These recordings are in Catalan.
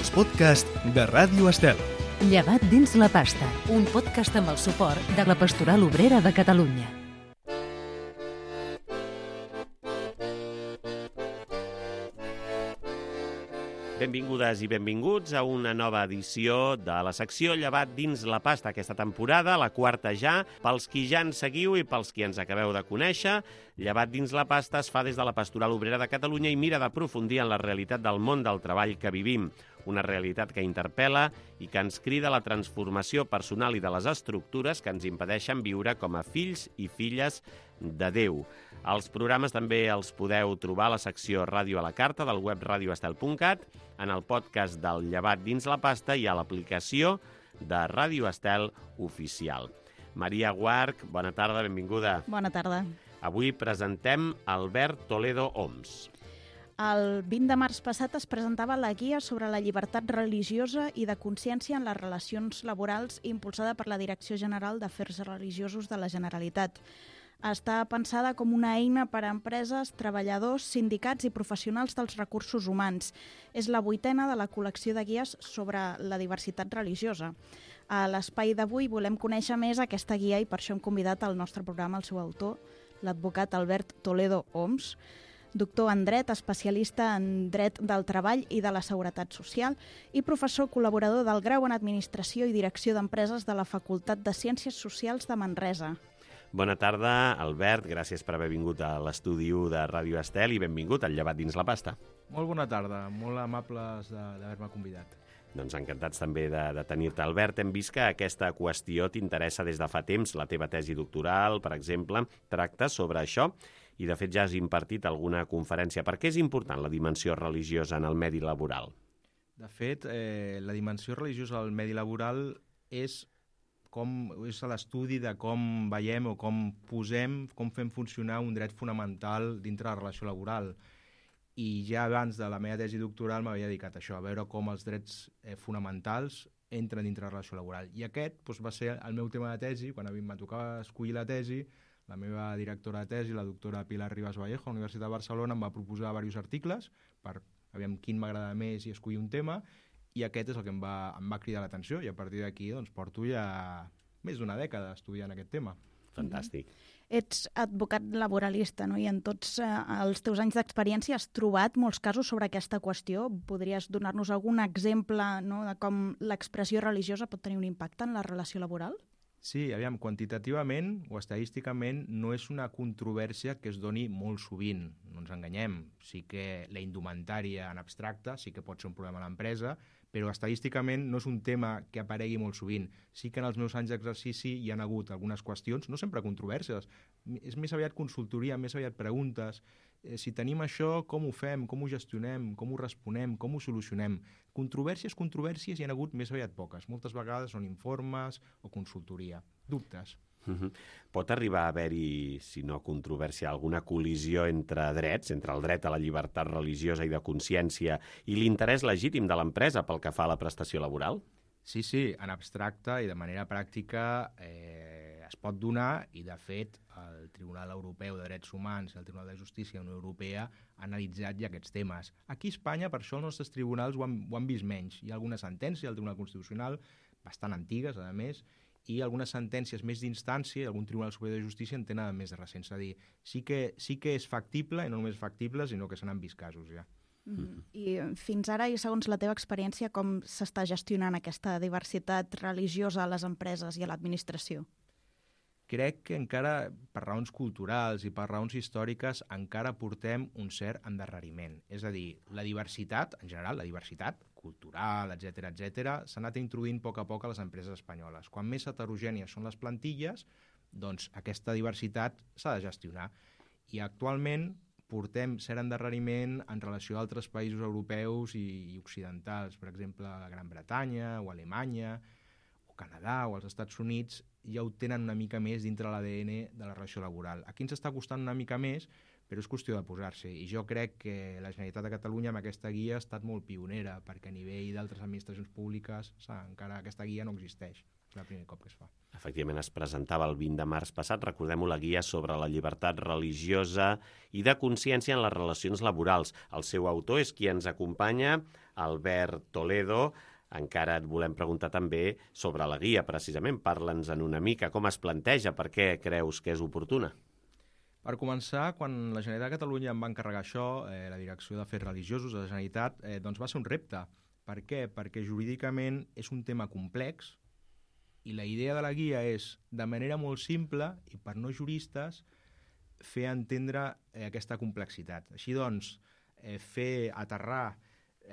els podcasts de Ràdio Estel. Llevat dins la pasta, un podcast amb el suport de la Pastoral Obrera de Catalunya. Benvingudes i benvinguts a una nova edició de la secció Llevat dins la pasta. Aquesta temporada, la quarta ja, pels qui ja ens seguiu i pels qui ens acabeu de conèixer, Llevat dins la pasta es fa des de la Pastoral Obrera de Catalunya i mira d'aprofundir en la realitat del món del treball que vivim. Una realitat que interpel·la i que ens crida a la transformació personal i de les estructures que ens impedeixen viure com a fills i filles de Déu. Els programes també els podeu trobar a la secció Ràdio a la Carta del web radioestel.cat, en el podcast del Llevat dins la pasta i a l'aplicació de Ràdio Estel Oficial. Maria Guarch, bona tarda, benvinguda. Bona tarda. Avui presentem Albert Toledo Homs. El 20 de març passat es presentava la guia sobre la llibertat religiosa i de consciència en les relacions laborals impulsada per la Direcció General d'Afers Religiosos de la Generalitat. Està pensada com una eina per a empreses, treballadors, sindicats i professionals dels recursos humans. És la 8ª de la col·lecció de guies sobre la diversitat religiosa. A l'espai d'avui volem conèixer més aquesta guia i per això hem convidat al nostre programa el seu autor, l'advocat Albert Toledo Homs, doctor en dret, especialista en dret del treball i de la seguretat social i professor col·laborador del grau en Administració i Direcció d'Empreses de la Facultat de Ciències Socials de Manresa. Bona tarda, Albert. Gràcies per haver vingut a l'estudi de Ràdio Estel i benvingut al Llevat dins la pasta. Molt bona tarda, molt amables d'haver-me convidat. Doncs encantats també de tenir-te, Albert. Hem vist que aquesta qüestió t'interessa des de fa temps. La teva tesi doctoral, per exemple, tracta sobre això i, de fet, ja has impartit alguna conferència. Per què és important la dimensió religiosa en el medi laboral? De fet, la dimensió religiosa al medi laboral és l'estudi de com veiem o com fem funcionar un dret fonamental dintre la relació laboral. I ja abans de la meva tesi doctoral m'havia dedicat a això, a veure com els drets fonamentals entren dintre la relació laboral. I aquest va ser el meu tema de tesi. Quan em tocava escollir la tesi, la meva directora de tesi, la doctora Pilar Ribas Vallejo, a la Universitat de Barcelona, em va proposar diversos articles per aviam quin m'agrada més i escollir un tema, i aquest és el que em va cridar l'atenció, i a partir d'aquí porto ja més d'una dècada estudiant aquest tema. Fantàstic. Ets advocat laboralista, no? I en tots els teus anys d'experiència has trobat molts casos sobre aquesta qüestió. Podries donar-nos algun exemple, no?, de com l'expressió religiosa pot tenir un impacte en la relació laboral? Sí, aviam, quantitativament o estadísticament no és una controvèrsia que es doni molt sovint, no ens enganyem. Sí que la indumentària en abstracte sí que pot ser un problema a l'empresa, però estadísticament no és un tema que aparegui molt sovint. Sí que en els meus anys d'exercici hi ha hagut algunes qüestions, no sempre controvèrsies, és més aviat consultoria, més aviat preguntes. Si tenim això, com ho fem, com ho gestionem, com ho responem, com ho solucionem? Controvèrsies hi ha hagut més aviat poques. Moltes vegades són informes o consultoria. Dubtes. Pot arribar a haver-hi, si no controvèrsia, alguna col·lisió entre drets, entre el dret a la llibertat religiosa i de consciència i l'interès legítim de l'empresa pel que fa a la prestació laboral? Sí, en abstracte i de manera pràctica es pot donar, i de fet el Tribunal Europeu de Drets Humans i el Tribunal de Justícia de la Unió Europea han analitzat ja aquests temes. Aquí a Espanya, per això els nostres tribunals ho han vist menys. Hi ha alguna sentència del Tribunal Constitucional, bastant antigues, a més, i algunes sentències més d'instància i algun Tribunal Superior de Justícia en tenen més de recents. És a dir, sí que és factible, i no només factible, sinó que se n'han vist casos ja. I fins ara, i segons la teva experiència, com s'està gestionant aquesta diversitat religiosa a les empreses i a l'administració? Crec que encara, per raons culturals i per raons històriques, encara portem un cert endarreriment. És a dir, la diversitat, en general, la diversitat cultural, etc., s'ha anat introduint a poc a les empreses espanyoles. Quan més heterogènies són les plantilles, doncs aquesta diversitat s'ha de gestionar. I actualment portem cert endarreriment en relació a altres països europeus i occidentals, per exemple, a Gran Bretanya o Alemanya, o Canadà o els Estats Units, ja ho tenen una mica més dintre l'ADN de la relació laboral. Aquí ens està costant una mica més, però és qüestió de posar-se. I jo crec que la Generalitat de Catalunya amb aquesta guia ha estat molt pionera, perquè a nivell d'altres administracions públiques encara aquesta guia no existeix. És el primer cop que es fa. Efectivament, es presentava el 20 de març passat, recordem-ho, la guia sobre la llibertat religiosa i de consciència en les relacions laborals. El seu autor és qui ens acompanya, Albert Toledo. Encara et volem preguntar també sobre la guia, precisament. Parla'ns-en una mica. Com es planteja? Per què creus que és oportuna? Per començar, quan la Generalitat de Catalunya em va encarregar això, la Direcció d'Afers Religiosos de la Generalitat, doncs va ser un repte. Per què? Perquè jurídicament és un tema complex i la idea de la guia és, de manera molt simple i per no juristes, fer entendre aquesta complexitat. Així doncs, fer aterrar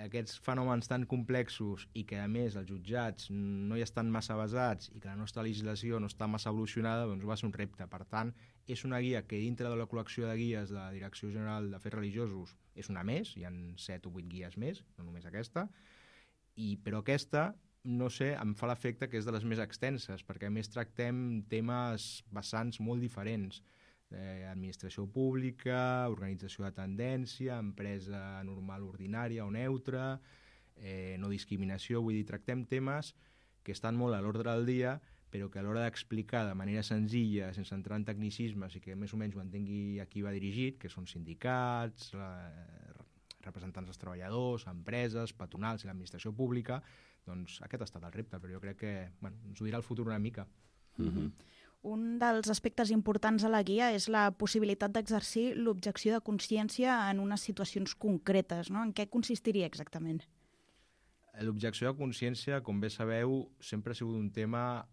aquests fenòmens tan complexos i que, a més, els jutjats no hi estan massa basats i que la nostra legislació no està massa evolucionada, doncs va ser un repte. Per tant, és una guia que dintre de la col·lecció de guies de la Direcció General d'Afers Religiosos és una més, hi ha 7 o 8 guies més, no només aquesta, però aquesta, no sé, em fa l'efecte que és de les més extenses, perquè a més tractem temes vessants molt diferents. Administració pública, organització de tendència, empresa normal ordinària o neutra, no discriminació, vull dir, tractem temes que estan molt a l'ordre del dia, però que a l'hora d'explicar de manera senzilla, sense entrar en tecnicismes i que més o menys ho entengui a qui va dirigit, que són sindicats, representants dels treballadors, empreses, patronals i l'administració pública, doncs aquest ha estat el repte, però jo crec que ens ho dirà el futur una mica. Un dels aspectes importants a la guia és la possibilitat d'exercir l'objecció de consciència en unes situacions concretes, no? En què consistiria exactament? L'objecció de consciència, com bé sabeu, sempre ha sigut un tema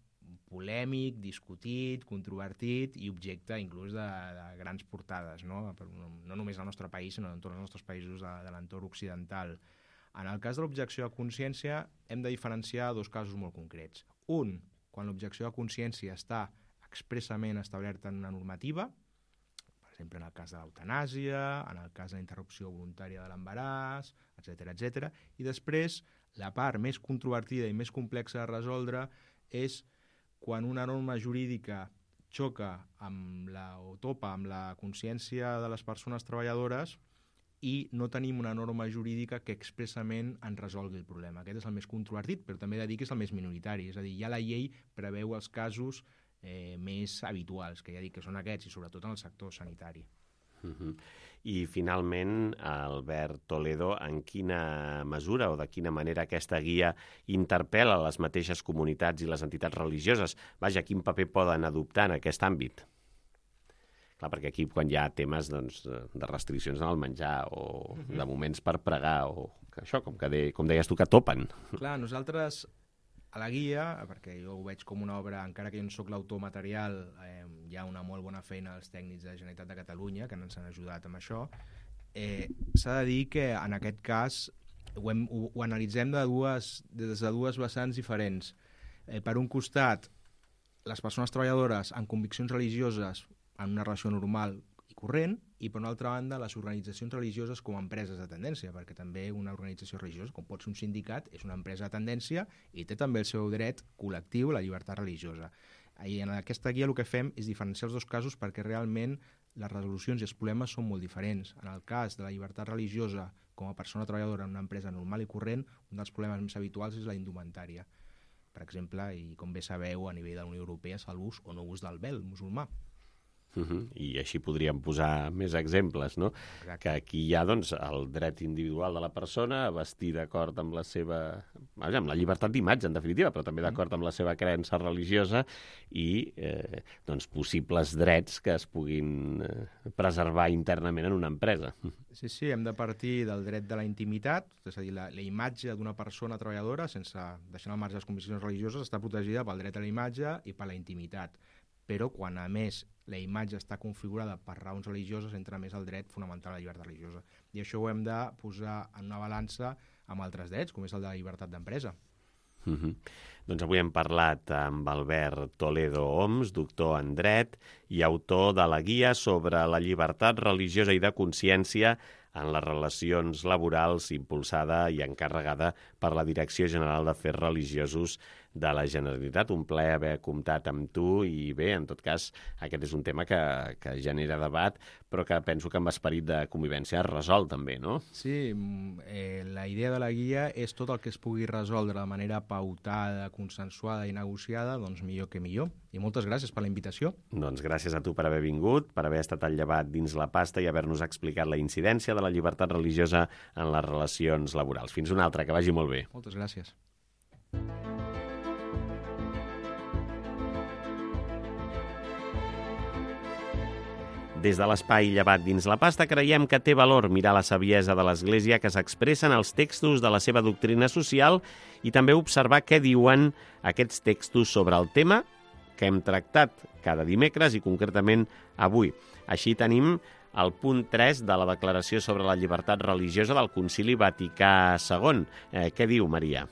polèmic, discutit, controvertit i objecte inclús de grans portades, no només al nostre país, sinó en tots els nostres països de l'entorn occidental. En el cas de l'objecció de consciència hem de diferenciar dos casos molt concrets. Un, quan l'objecció de consciència està expressament establerta en una normativa, per exemple en el cas de l'eutanàsia, en el cas de la interrupció voluntària de l'embaràs, etc. I després, la part més controvertida i més complexa de resoldre és quan una norma jurídica xoca o topa amb la consciència de les persones treballadores i no tenim una norma jurídica que expressament en resolgui el problema. Aquest és el més controvertit, però també he de dir que és el més minoritari. És a dir, ja la llei preveu els casos més habituals, que ja dic que són aquests, i sobretot en el sector sanitari. I finalment, Albert Toledo, en quina mesura o de quina manera aquesta guia interpel·la les mateixes comunitats i les entitats religioses? Vaja, quin paper poden adoptar en aquest àmbit? Clar, perquè aquí quan hi ha temes de restriccions en el menjar o de moments per pregar o això, com deies tu, que topen. Clar, nosaltres a la guia, perquè jo ho veig com una obra, encara que jo no soc l'autor material, hi ha una molt bona feina als tècnics de la Generalitat de Catalunya que ens han ajudat amb això. S'ha de dir que en aquest cas ho analitzem des de dues vessants diferents. Per un costat, les persones treballadores amb conviccions religioses en una relació normal i corrent, i per una altra banda les organitzacions religioses com a empreses de tendència, perquè també una organització religiosa, com pot ser un sindicat, és una empresa de tendència i té també el seu dret col·lectiu a la llibertat religiosa. I en aquesta guia el que fem és diferenciar els dos casos perquè realment les resolucions i els problemes són molt diferents. En el cas de la llibertat religiosa com a persona treballadora en una empresa normal i corrent, un dels problemes més habituals és la indumentària. Per exemple, i com bé sabeu, a nivell de la Unió Europea és l'ús o no ús del vel musulmà. I així podríem posar més exemples, no? Exacte. Que aquí hi ha doncs, el dret individual de la persona a vestir d'acord amb la seva... amb la llibertat d'imatge, en definitiva, però també d'acord amb la seva creença religiosa i doncs, possibles drets que es puguin preservar internament en una empresa. Sí, hem de partir del dret de la intimitat, és a dir, la imatge d'una persona treballadora, sense deixar al marge les conviccions religioses, està protegida pel dret a la imatge i per la intimitat. Però quan, a més, la imatge està configurada per raons religioses, entra més el dret fonamental a la llibertat religiosa. I això ho hem de posar en una balança amb altres drets, com és el de la llibertat d'empresa. Doncs avui hem parlat amb Albert Toledo Homs, doctor en dret i autor de la guia sobre la llibertat religiosa i de consciència en les relacions laborals, impulsada i encarregada per la Direcció General d'Afers Religiosos de la Generalitat. Un plaer haver comptat amb tu i bé, en tot cas, aquest és un tema que genera debat, però que penso que amb esperit de convivència es resol també, no? Sí, la idea de la guia és tot el que es pugui resoldre de manera pautada, consensuada i negociada, doncs millor que millor. I moltes gràcies per la invitació. Doncs gràcies a tu per haver vingut, per haver estat al llevat dins la pasta i haver-nos explicat la incidència de la llibertat religiosa en les relacions laborals. Fins una altra, que vagi molt bé. Moltes gràcies. Des de l'espai llevat dins la pasta creiem que té valor mirar la saviesa de l'Església que s'expressa en els textos de la seva doctrina social i també observar què diuen aquests textos sobre el tema que hem tractat cada dimecres i concretament avui. Així tenim el punt 3 de la Declaració sobre la Llibertat Religiosa del Concili Vaticà II. Què diu, Maria?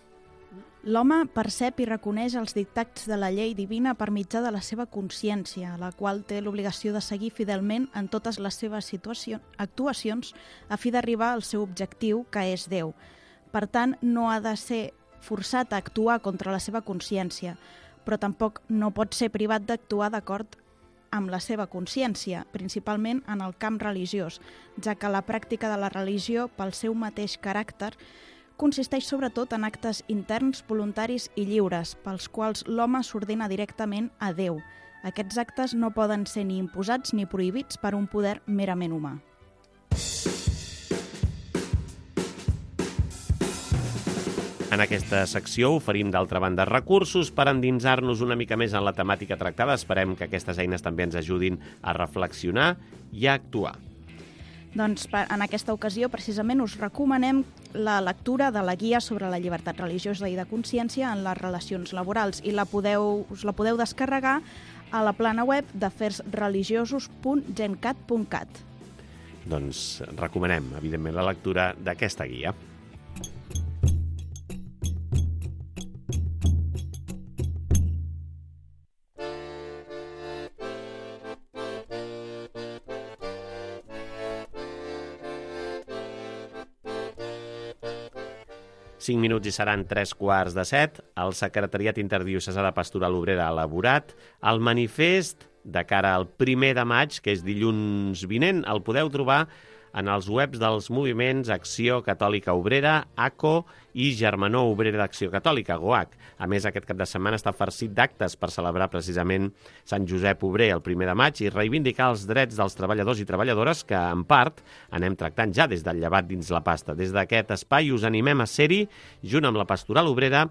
L'home percep i reconeix els dictats de la llei divina per mitjà de la seva consciència, la qual té l'obligació de seguir fidelment en totes les seves actuacions a fi d'arribar al seu objectiu, que és Déu. Per tant, no ha de ser forçat a actuar contra la seva consciència, però tampoc no pot ser privat d'actuar d'acord amb la seva consciència, principalment en el camp religiós, ja que la pràctica de la religió, pel seu mateix caràcter, consisteix sobretot en actes interns, voluntaris i lliures, pels quals l'home s'ordena directament a Déu. Aquests actes no poden ser ni imposats ni prohibits per un poder merament humà. En aquesta secció oferim, d'altra banda, recursos per endinsar-nos una mica més en la temàtica tractada. Esperem que aquestes eines també ens ajudin a reflexionar i a actuar. Doncs en aquesta ocasió, precisament, us recomanem la lectura de la guia sobre la llibertat religiosa i de consciència en les relacions laborals i us la podeu descarregar a la plana web d'afersreligiosos.gencat.cat. Doncs recomanem, evidentment, la lectura d'aquesta guia. Cinc minuts i seran 3:45. El Secretariat Interdiocesà de Pastoral Obrera ha elaborat el manifest de cara al 1 de maig, que és dilluns vinent. El podeu trobar en els webs dels moviments Acció Catòlica Obrera, ACO, i Germanor Obrera d'Acció Catòlica, GOAC. A més, aquest cap de setmana està farcit d'actes per celebrar precisament Sant Josep Obrer el 1 de maig i reivindicar els drets dels treballadors i treballadores que, en part, anem tractant ja des del llevat dins la pasta. Des d'aquest espai us animem a ser-hi, junt amb la Pastoral Obrera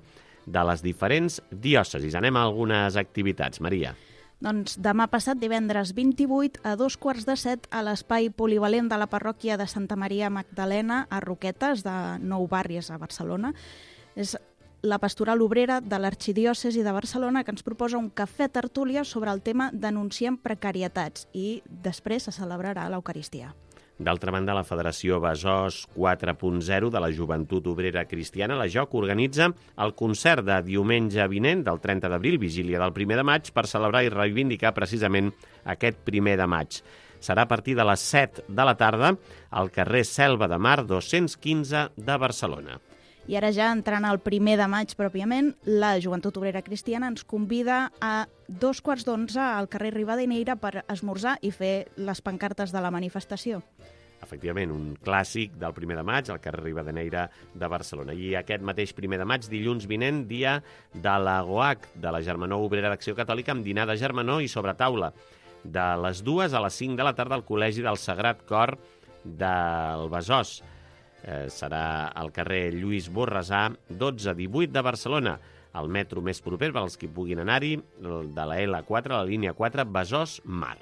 de les diferents diòcesis. Anem a algunes activitats. Maria. Doncs demà passat, divendres 28, a 6:45, a l'espai polivalent de la parròquia de Santa Maria Magdalena, a Roquetes, de Nou Barris, a Barcelona. És la Pastoral Obrera de l'Arxidiòcesi de Barcelona que ens proposa un cafè tertúlia sobre el tema Denunciem precarietats i després se celebrarà l'Eucaristia. D'altra banda, la Federació Besòs 4.0 de la Joventut Obrera Cristiana, la JOC, organitza el concert de diumenge vinent, del 30 d'abril, vigília del 1 de maig, per celebrar i reivindicar precisament aquest 1 de maig. Serà a partir de les 7 de la tarda al carrer Selva de Mar 215 de Barcelona. I ara ja entrant al 1 de maig pròpiament, la Joventut Obrera Cristiana ens convida a 11:15 al carrer Rivadeneyra per esmorzar i fer les pancartes de la manifestació. Efectivament, un clàssic del 1 de maig al carrer Rivadeneyra de Barcelona. I aquest mateix 1 de maig, dilluns vinent, dia de la GOAC, de la Germanor Obrera d'Acció Catòlica, amb dinar de germanor i sobretaula. De les 2 a les 5 de la tarda al Col·legi del Sagrat Cor del Besòs. Serà al carrer Lluís Borrasà, 12-18 de Barcelona. El metro més proper per als que puguin anar-hi, de la L4, la línia 4, Besòs-Mar.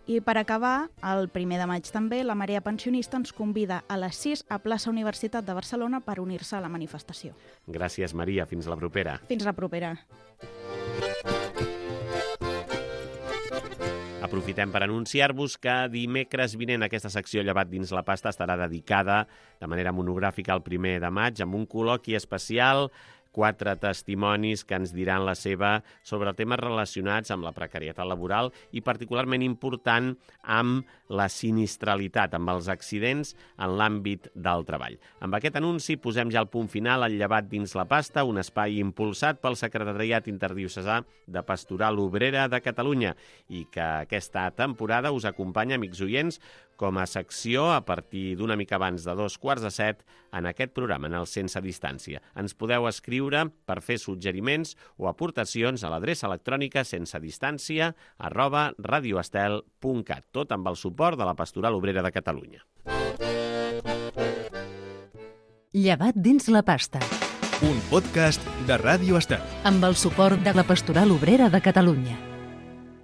I per acabar, el 1 de maig també, la Marea Pensionista ens convida a les 6 a plaça Universitat de Barcelona per unir-se a la manifestació. Gràcies, Maria. Fins la propera. Fins la propera. Aprofitem per anunciar-vos que dimecres vinent aquesta secció Llevat dins la pasta estarà dedicada de manera monogràfica al 1 de maig amb un col·loqui especial 4 testimonis que ens diran la seva sobre temes relacionats amb la precarietat laboral i particularment important amb la sinistralitat, amb els accidents en l'àmbit del treball. Amb aquest anunci posem ja el punt final al Llevat dins la pasta, un espai impulsat pel Secretariat Interdiocesà de Pastoral Obrera de Catalunya i que aquesta temporada us acompanya, amics oients, com a secció a partir d'una mica abans de 2:45 en aquest programa, en el Sense Distància. Ens podeu escriure per fer suggeriments o aportacions a l'adreça electrònica sensedistància@radioestel.cat, tot amb el suport de la Pastoral Obrera de Catalunya. Llevat dins la pasta. Un podcast de Ràdio Estel. Amb el suport de la Pastoral Obrera de Catalunya.